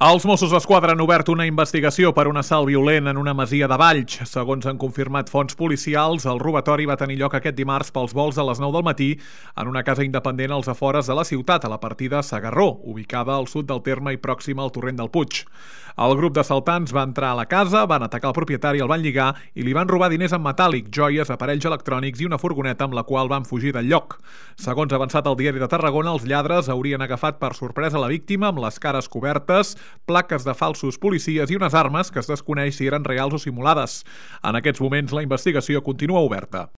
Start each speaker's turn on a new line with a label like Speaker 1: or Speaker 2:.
Speaker 1: Els Mossos d'Esquadra han obert una investigació per un assalt violent en una masia de Valls. Segons han confirmat fonts policials, el robatori va tenir lloc aquest dimarts pels volts a les 9 del matí en una casa independent als afores de la ciutat, a la partida Segarró, ubicada al sud del terme i pròxima al torrent del Puig. El grup d'assaltants va entrar a la casa, van atacar el propietari, el van lligar i li van robar diners en metàl·lic, joies, aparells electrònics i una furgoneta amb la qual van fugir del lloc. Segons ha avançat el Diari de Tarragona, els lladres haurien agafat per sorpresa la víctima amb les cares cobertes, plaques de falsos policies i unes armes que es desconeix si eren reals o simulades. En aquests moments la investigació continua oberta.